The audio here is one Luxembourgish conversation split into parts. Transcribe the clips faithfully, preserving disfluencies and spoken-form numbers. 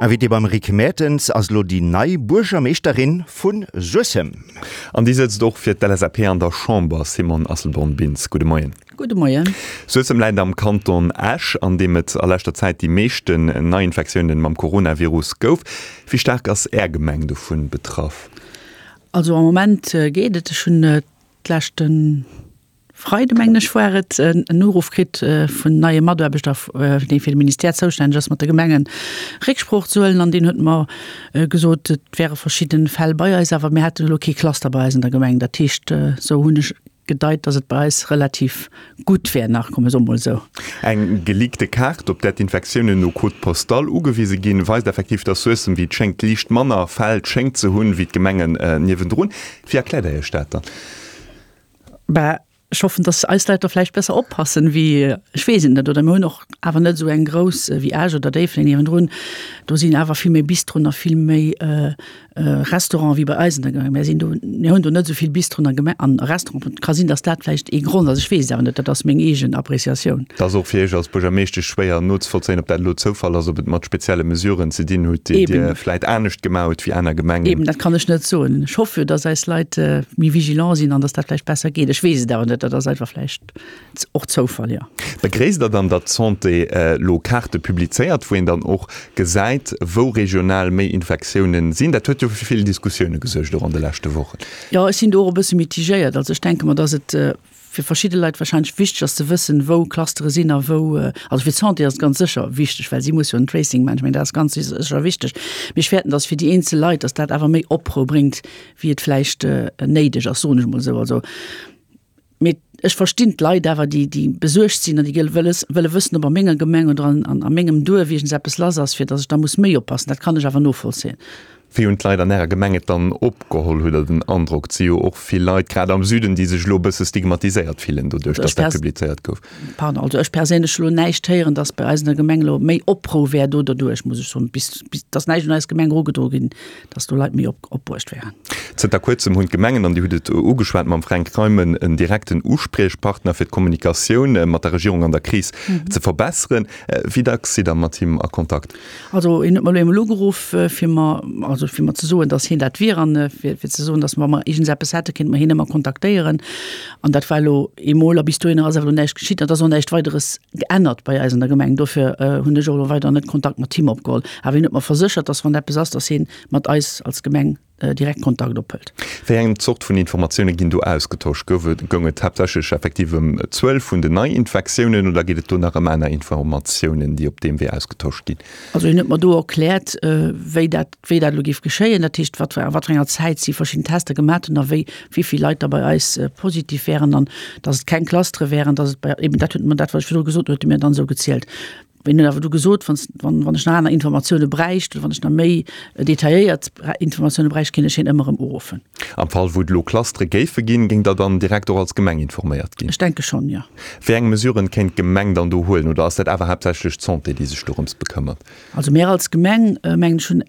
Invitée beim Rick Mertens ass elo déi nei Buergermeeschterin vu Suessem. An déi sëtzt och fir d'LSAP an der Chamber, Simone Asselborn-Bintz. Gudde Moien. Gudde Moien. Suessem läit am Kanton Esch, an deem et a leschter Zäit déi meeschten Neiinfektiounen mam Coronavirus gouf. Wéi staark ass Är Gemeng dovun betraff? Also am Moment geet et. Ech hunn d'leschte Freide mengen ech war et, en Uruff kritt vun neie Mataarbechter, dee fir de Ministère zoustänneg ass, mat de Gemengen Récksprooch ze huelen. An deen huet mer gesot, et wäre verschidde Fäll bei eis, awer mir hätten elo kee Cluster bei eis an der Gemeng. Dat heescht, esou hunn ech gedeit, datt et bei eis relativ gutt wär nach, komme soe mol esou. Eng geleakte Kaart, op där d'Infektiounen no Code postal ugewise ginn, weist effektiv, datt Suessem, wéi et schéngt, liicht manner Fäll schéngt ze hunn, wéi d'Gemengen niewendrun. Wéi erkläert Der Iech dat dann? Bah, ech hoffen, dass eis Leit da vläicht besser oppassen wéi, ech weess et net, oder mir hunn och awer net esou eng grouss wéi Esch oder Déifferdeng niewendrun. Do sinn awer vill méi Bistroen a vill méi Restauranten wéi bei eis an der Gemeng. Mir sinn do, mir hunn do net esou vill Bistroen a Geme an Restauranten. Et ka sinn, dass dat vläicht ee Grond ass, ech weess et awer net, dat ass meng eegen Appreciatioun. Et ass och fir Iech als Buergermeeschtesch schwéier nozevollzéien, ob dat elo Zoufall ass, ob et mat spezielle Mesuren ze dinn hutt, déi Dir vläicht anescht gemaach hutt wéi aner Gemengen. Eben, dat kann ech net soen. Ech hoffe jo, dass eis Leit méi vigilant sinn an dass dat vläicht besser geet. Ech weess et awer net, dat ass einfach vläicht och Zoufall, jo. Begréisst Der dann, datt d'Santé elo Kaarte publizéiert, wou een dann och gesäit, wou regional méi Infektiounen sinn? Dat huet jo fir vill Diskussioune gesuergt, och an de leschte Wochen. Jo, ech sinn do och e bësse mitigéiert. Also ech denke mer, datt et fir verschidde Leit wahrscheinlech wichteg ass ze wëssen, wou Clustere sinn a wou, also fir d'Santé ass et ganz sécher wichteg, well si muss jo en Tracing maachen. Ech mengen, dat ass ganz sécher wichteg. Mee ech fäerten, datt fir déi eenzel Leit, datt dat awer méi Oprou bréngt, wéi et vläicht néideg ass, soen ech emol esou. Also, mee ech verstinn d'Leit awer, déi, déi besuergt sinn an déi wëlles, wëlle wëssen, ob a menger Gemeng oder an, an a mengem Duerf iergends eppes lass ass, fir datt ech da muss méi oppassen. Dat kann ech awer novollzéien. Wéi hunn d'Leit an Ärer Gemeng et dann opgeholl? Hutt Der den Androck, et si jo och vill Leit, grad am Süden, déi sech elo e bësse stigmatiséiert fillen doduerch, datt dat publizéiert gouf? Pardon, also ech perséinlech hu lo näischt héieren, datt bei eis an der Gemeng elo méi Oprou wär do derduerch, muss ech soen. Bis, bis, et ass näischt un eis Gemeng erugedroe ginn, datt do Leit méi op, opbruecht wären. Zënter kuerzem hunn d'Gemengen, an Dir hutt et ugeschwat mam Fränk Reimen, en direkten Uspriechpartner fir d'Kommunikatioun mat der Regierung an der Kris ze verbesseren. Wéi dacks sidd Der mat him a Kontakt? Also hien huet mer elo eemol ugeruff, fir mer, also fir mer ze soen, datt hien dat wier an fir, fir ze soen, datt wa mer iergendseppes hätte kéinte mer hien ëmmer kontaktéieren. An dat war elo eemol a bis dohinner ass awer elo näischt geschitt an et ass och näischt Weideres geännert bei eis an der Gemeng. Dofir hunn ech och elo weider net Kontakt mat him opgeholl. Awer hien huet mer verséchert, datt wann eppes ass, datt hien mat eis als Gemeng direkt Kontakt ophëlt. Wéi eng Zort vun Informatioune ginn do ausgetosch? Gouf et, goung et haaptsächlech effektiv ëm d'Zuel vun den Neiinfektiounen oder geet et do nach ëm aner Informatiounen, déi op deem Wee ausgetosch ginn? Also hien huet mer do erkläert, wéi dat, wéi dat elo géif geschéien, dat heescht wat, a wat fir enger Zäit si verschidden Tester gemat hunn a wéi, wéi vill Leit da bei eis positiv wären an datt et keng Clustere wären, datt et bei, eben dat huet mer, dat wat ech virdru gesot hunn, huet e mir dann esou gezielt. Hien huet awer du gesot, wann, wann ech nach aner Informatioune bräicht oder wann ech nach méi detailléiert Informatioune bräicht, kéint ech hien ëmmer erëm uruffen. Am Fall wou et elo Clustere géife ginn, géing Der dann direkt och als Gemeng informéiert ginn? Ech denke schonn, jo. Wéi eng Mesuren kéint d'Gemeng dann do huelen oder ass dat awer haaptsächlech d'Santé, déi sech dorëms bekëmmert? Also mir als Gemeng, mengen ech, hunn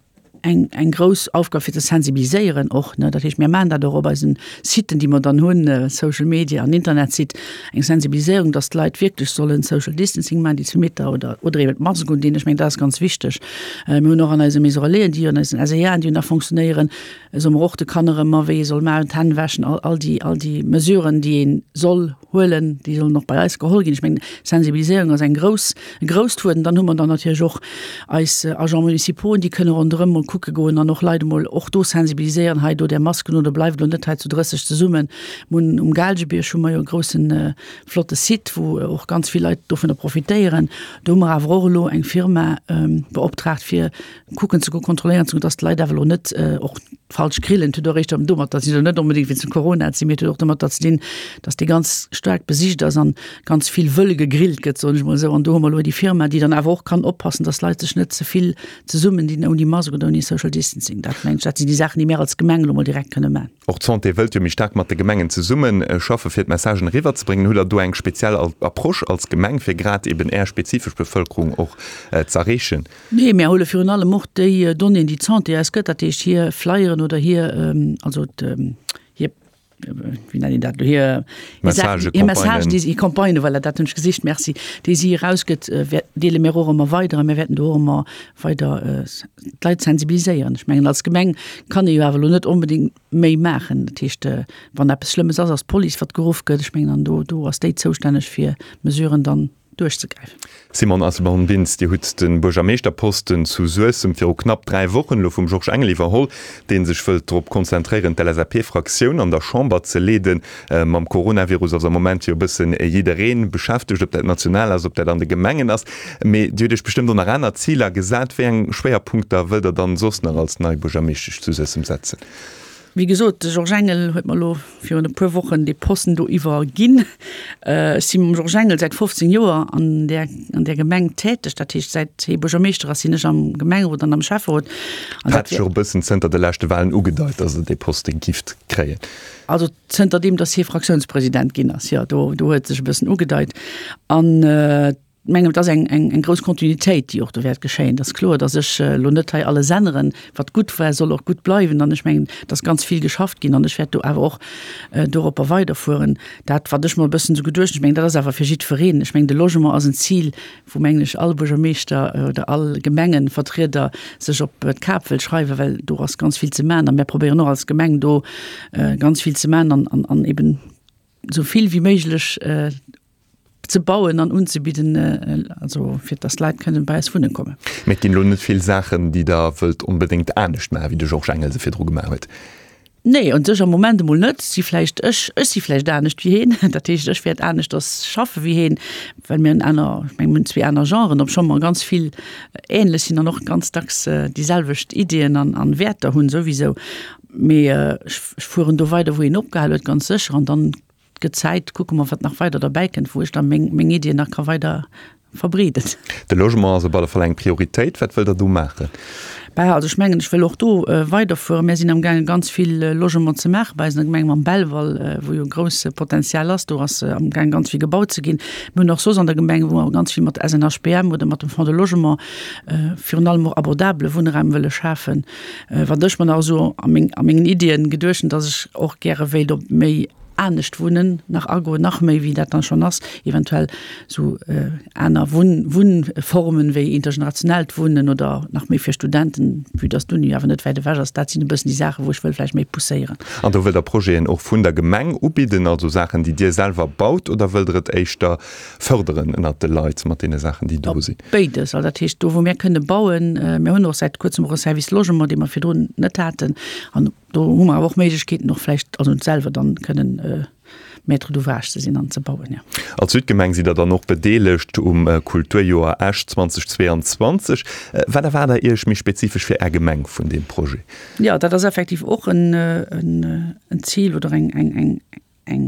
eng, eng grouss Aufgab fir ze sensibiliséieren och, ne. Dat heescht, mir maachen dat och op eisen Siten, déi mer dann hunn, Social Media an Internetsite, eng Sensibiliséierung, dass d'Leit wierklech sollen Social Distancing maachen, déi zwee Meter oder, oder eben d'Mask undinn. Ech mengen, dat ass ganz wichteg. Mir hunn och an eise Maison Relaisen, déi an eisen SEAen, déi jo nach fonctionnéieren, soe mer och de Kanner ëmmer, wéi ee soll maachen, d'Hänn wäschen, all, all déi, all déi Mesuren, déi ee soll huelen, déi sollen och bei eis geholl ginn. Ech mengen, Sensibiliséierung ass eng grouss, e grousst Wuert. An dann hu mer dann natierlech och eis Agents municipaux, déi kënne ronderëm mol kucke goen an och Leit emol och do sensibiliséieren, hei do där Masken un oder bleift elo net hei zu drësseg zesummen. Mir hunn um Gaalgebierg hu mer jo e groussen, flotte Site, wou och ganz vill Leit dovunner profitéieren. Do hu mer awer och elo eng Firma beoptraagt, fir kucken ze goen, kontrolléieren ze goen, dass d'Leit awer elo net och falsch grillen. Et huet och éischter domatter ze dinn, net onbedéngt wéinst dem Corona ze, mee et huet och domatter ze dinn, dass dee ganz staark besicht ass an ganz vill wëll gegrillt gëtt, soen ech mol esou. An do hu mer elo déi Firma, déi dann awer och kann oppassen, dass d'Leit sech net ze vill zesummen dinn ouni Mask oder ouni Social Distancing. Dat mengen ech, dat sinn déi Saachen, déi mir als Gemeng elo mol direkt kënne man. Och d'Santé wëllt jo méi staark mat de Gemengen zesumme schaffe fir d'Messagen eriwwer ze bréngen. Hutt Der do eng speziell Approche als Gemeng, fir grad eben Är spezifesch Bevëlkerung och z'erreechen? Nee, mir huele virun allem och déi Donnéeën, déi d'Santé eis gëtt, dat heescht hir Flyeren oder hir, also hir wéi nennt een dat elo, hir Message, hir Message, déi si, hir Campagnen, voilà, dat hunn ech gesicht, merci, déi si erausgëtt, deele mir och ëmmer weider a mir wäerten do och ëmmer weider d'Leit sensibiliséieren. Ech mengen, als Gemeng kann ee jo awer elo net onbedéngt méi maachen. Dat heescht, wann eppes Schlëmmes ass, ass d'Police, wat geruff gëtt. Ech mengen, an do, do ass déi zoustänneg, fir Mesuren dann duerchzegräifen. Simone Asselborn-Bintz, Dir hutt de Buergermeeschterposten zu Suessem viru knapp dräi Wochen elo vum Georges Engel iwwerholl, dee sech wëllt drop konzentréieren, d'LSAP-Fraktioun an der Chamber ze leeden. Mam Coronavirus ass am Moment jo e bëssen jidderee beschäftegt, ob dat national ass, ob dat an de Gemengen ass. Mee Dir hutt Iech bestëmmt och nach aner Ziler gesat. Wéi eng Schwéierpunkter wëllt Der dann soss nach als nei Buergermeeschtesch zu Suessem setzen? Wéi gesot, de Georges Engel huet mer elo virun e puer Wochen dee Posten do iwwerginn. Ech si mam Georges Engel säit fofzéng Joer an där, an där Gemeng täteg. Dat heescht, säit hie Buergermeeschter ass, sinn ech am Gemengerot an am Schäfferot. An dat hat sech och e bëssen zënter de leschte Walen ugedeit, datt Der dee Poste gifft kréien. Also zënterdeem, datt hie Fraktiounspresident ginn ass, jo, do, do huet sech e bëssen ugedeit. An mengen, et ass eng, eng, eng grouss Kontinuitéit, déi och do wäert geschéien. Et ass kloer, datt ech elo net hei alles änneren. Wat gutt war, soll och gutt bleiwen. An ech mengen, et ass ganz vill geschafft ginn an ech wäert do awer och doropper weiderfueren. Dat, wat ech mer e bëssen esou geduecht hunn, ech mengen, dat ass awer fir jiddwereen, ech mengen, de Logement ass en Zil, wou, mengen ech, all Buergermeeschter oder all Gemengevertrieder sech op d'Kap wëll schreiwen, well do ass ganz vill ze maachen. A mir probéieren och als Gemeng do ganz vill ze maachen an, an, an eben esou vill wéi méiglech ze bauen an unzebidden, also fir dass d'Leit kënnen bei eis wunne kommen. Mee et ginn elo net vill Saachen, déi Der wëllt onbedéngt anescht maachen, wéi de Georges Engel se virdru gemaach huet? Nee, un sech am Moment emol net. Si vläicht, ech, ech si vläicht anescht wéi heen. Dat heescht, ech wäert aneschters schaffe wéi heen, well mir hunn aner, ech menge mir hunn zwee aner Genren, obscho mer ganz vill änlech sinn an och ganz dacks déi selwecht Iddien an, an Wäerter hunn souwisou. Mee ech, ech fueren do weider, wou hien opgehal huet, ganz sécher. An dann Gëtt Zäit, kucke mer, wat nach weider derbäi kënnt, wou ech da meng, meng Iddien nach ka weider verbreeden. De Logement ass op alle Fall eng Prioritéit. Wat wëllt Der do maachen? Bah, also ech mengen, ech wëll och do weiderfueren. Mir sinn amgaangen, ganz vill Logement ze maache bei eis an der Gemeng mam Belval, wou jo e grousse Potenzial ass. Do ass amgaangen, ganz vill gebaut ze ginn. Mir hunn och soss an der Gemeng, wou mer ganz vill mat S N H B M oder mat dem Fonds de Logement virun allem och abordabele Wunnraum wëlle schafen. Wat ech mer nach esou a meng, a mengen Iddien geduecht hunn, dass ech och gäre wéilt op méi anescht wunnen nach agoen, nach méi wéi dat dann schonn ass, eventuell sou aner Wunn Wunnformen wéi intergenerationellt Wunnen oder nach méi fir Studenten, vue dass d'Uni awer net wäit ewech ass. Dat sinn e bëssen déi Saachen, wou ech wëll vläicht méi pousséieren. An do wëllt Der Projeten och vun der Gemeng ubidden, also Saachen, déi Dir selwer baut, oder wëllt Der et éischter fërderen ënnert de Leit mat deene Saachen, déi do sinn? Béides. Also dat heescht, do wou mir kënne bauen, mir hunn och säit kuerzem och e Service Logement, dee mer virdrun net haten, an Do hu mer awer och Méiglechkeeten, och vläicht also selwer dann kënnen Maître d'ouvrage ze sinn an ze bauen, jo. Als Südgemeng sidd Der dann och bedeelegt um Kulturjoer Esch zweitausendzweiundzwanzeg. Wat erwaart Der Iech méi spezifesch fir Är Gemeng vun deem Projet? Jo, dat ass effektiv och en Zil oder eng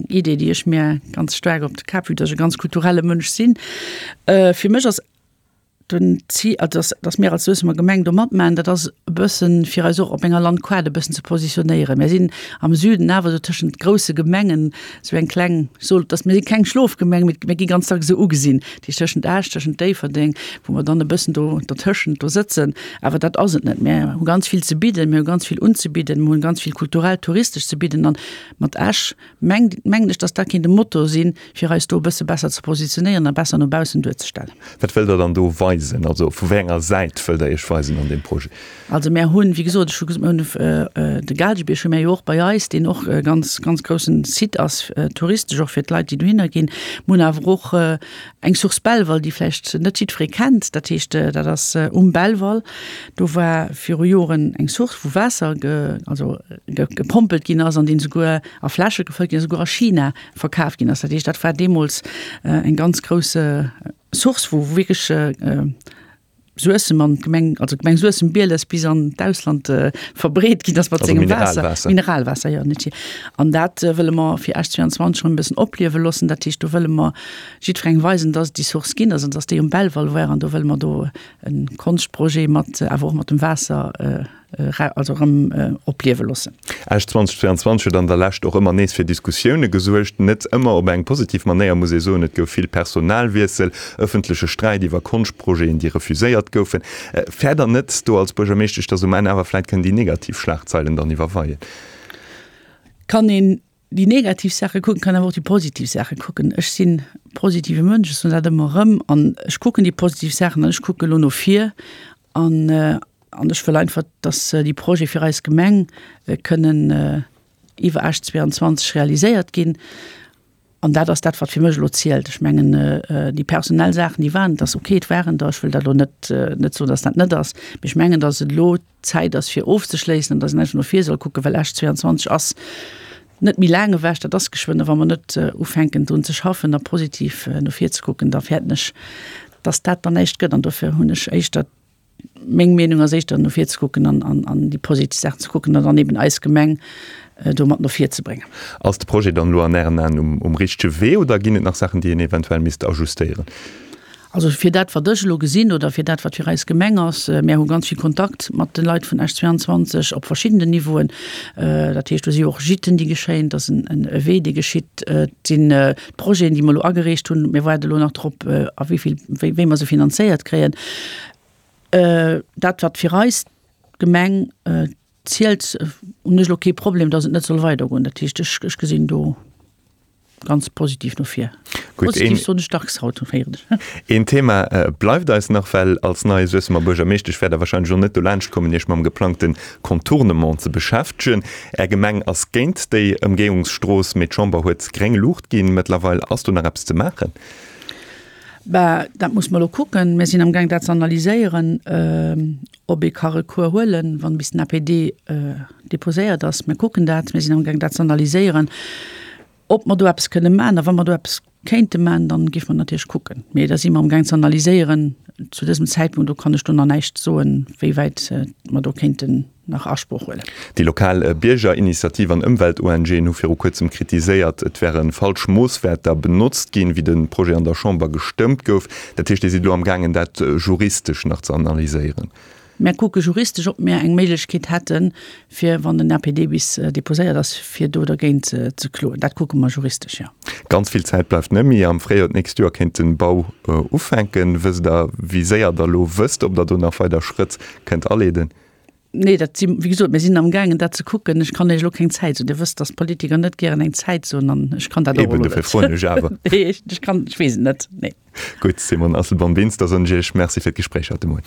Idee, déi ech mir ganz staark op de Kap, vue dass ech e ganz kulturelle Mënsch sinn. Fir mech ass Den Zil, also dass, dass mir als Suessemer Gemeng do matmaachen, dat ass e bëssen, fir eis och op enger Landkaart e bëssen ze positionéieren. Mir sinn am Süden awer esou tëschent grousse Gemengen, esou eng kleng, ech soll, dass mir si keng Schlofgemeng, mee mir gi ganz dacks esou ugesinn, dat heescht tëschent Esch, tëschent Déifferdeng, wou mer dann e bëssen do dertëschent do sëtzen. Awer dat ass et net. Mir hu ganz vill ze bidden, mir hu ganz vill unzebidden, mir hunn ganz vill kulturell, touristesch ze bidden an mat Esch mengt, mengen ech, dass dat kéint e Motor sinn, fir eis do e bësse besser ze positionéieren a besser no baussen duerzestellen. Wat wëllt Der dann do weisen? Also vu wéi enger Säit wëllt Der Iech weisen an deem Projet? Also mär hunn, wéi gesot, ech hu gesot, mir hunn de Gaalgebierg hu mär jo och bei eis, deen och e ganz, ganz groussen Site ass, touristesch och fir d'Leit, déi dohinner ginn. Mir hunn awer och eng Source Belval, déi vläicht net jiddweree kennt. Dat heescht, dat ass um Belval. Do war viru Joren eng Source, wou Waasser ge, also gepompelt ginn ass an deen esouguer a Fläsche gefëllt ginn ass, esouguer a China verkaf ginn ass. Dat heescht, dat war deemools eng ganz grouss Source, wou wierklech Suessem an d'Gemeng, also d'Gemeng Suessem-Bieles bis an d'Ausland verbreet ginn ass mat sengem Waasser. Mineralwaasser. Mineralwaasser, jo, net hier. An dat wëlle mer fir Esch zweiundzwanzeg erëm e bëssen opliewe loossen. Dat heescht, do wëlle mer jiddwerengem weisen, dass et déi Source ginn ass an dass déi um Belval war. An do wëlle mer do e Konschtprojet mat, awer och mat dem Waasser, also erëm opliewe loossen. Esch zweitausendzweiundzwanzeg huet an der Lescht och ëmmer nees fir Diskussioune gesuergt. Net ëmmer op eng positiv Manéier, muss ee soen. Et gouf vill Personalwiessel, ëffentleche Sträit iwwer Konschtprojeten, déi refuséiert goufen. Fäert Der net do als Buergermeeschtesch, datt um Enn awer vläit kënnen déi negativ Schlagzeilen dann iwwerweien? Kann een déi negativ Saache kucken, kann awer och déi positiv Saache kucken. Ech sinn positive Mënsch, ech soen dat ëmmer erëm, an ech kucken déi positiv Saachen an ech kucke elo no vir an an ech wëll einfach, dass déi Projete fir eis Gemeng kënnen iwwer Esch zweiundzwanzeg realiséiert ginn. An dat ass dat, wat fir mech elo zielt. Ech mengen, déi personell Saachen, déi waren, dat ass okay, et waren der, ech wëll dat elo net, net soen, dass dat net ass, mee ech mengen, dass et elo Zäit ass, fir ofzeschléissen an dass een einfach no vir soll kucken, well Esch zweiundzwanzeg ass net méi laang ewech, dat ass geschwënn. A wa mer net ufänken, drun ze schaffen a positiv no vir ze kucken, da fäerten ech, dass dat dann näischt gëtt. An dofir hunn ech éischter, Meng Meenung ass éischter no vir ze kucken an, an, an déi positiv Saachen ze kucken an dann eben eis Gemeng do mat no vir ze bréngen. Ass de Projet dann elo an Ären Aen um, um richtege Wee oder ginn et nach Saachen, déi een eventuell misst ajustéieren? Also fir dat, wat ech elo gesinn oder fir dat, wat fir eis Gemeng ass, mär hu ganz vill Kontakt mat de Leit vun Esch zweiundzwanzeg op verschiddenen Niveauen. Dat heescht, do si jo och Gîten, déi geschéien, et ass en, en e Wee, dee geschitt, et sinn d'Projeten, déi mer elo agereecht hunn. Mir waarde elo nach drop, a wéi vill, wéi, wéi mer se finanzéiert kréien. Dat wat fir eis Gemeng zielt, hunn ech elo kee Problem, datt et net soll weidergoen. Dat heescht, ech ech gesinn do ganz positiv no vir. Gutt, Positiv een soen ech dacks haut, héieren ech. Een Thema bleift eis nach, well als nei Suessemer Buergermeeschtesch wäert Der wahrscheinlech och net dolaanscht kommen, Iech mam geplangte Contournement ze beschäftegen. Är Gemeng ass géint déi Ëmgehungsstrooss, mee d'Chamber huet gréng Luucht ginn. Mëttlerweil ass do nach eppes ze maachen? Bah, dat muss mer elo kucken. Mir sinn amgaang dat ze analyséieren, ob ee ka Recours huelen, wann bis den A P D déposéiert ass. Mir kucken dat. Mir sinn amgaang dat ze analyséieren, ob mer do eppes kënne maachen. A wa mer do eppes kéinte maachen, dann géife mer natierlech kucken. Mee da si mer amgaang ze analyséieren zu dësem Zäitpunkt. Do kann ech do nach näischt soen, wéi wäit mer do kéinten nach Asproch huelen. Déi lokal Biergerinitiativ an Ëmwelt-ONGen hu viru kuerzem kritiséiert, et wäre falsch Moosswäerter benotzt ginn, wéi de Projet an der Chamber gestëmmt gouf. Dat heescht, Dir sidd elo am gaangen, dat juristesch nach ze analyséieren? Mär kucke juristesch, ob mär eng Méiglechkeet hätten, fir, wann den A P D bis deposéiert ass, fir do dergéint ze kloen. Dat kucke mer juristesch, jo. Ganz vill Zäit bleift net méi. Am Fréijoer d'nächst Joer kéint de Bau ufänken. Wësst Der, wéi séier Der elo wësst, ob Der do nach weider Schrëtt kënnt aleeden? Nee, dat si, wéi gesot, mir sinn amgaangen, dat ze kucken. Ech kann Iech elo keng Zäit soen. Dir wësst, datt Politiker net gären eng Zäit soen an ech kann dat och Eben, elo dofir net. froen ech awer. Nee, ech kann, ech weess et net, nee. Gutt, Simone Asselborn-Bintz, da soen ech Iech Merci fir d'Gespréich haut de Moien.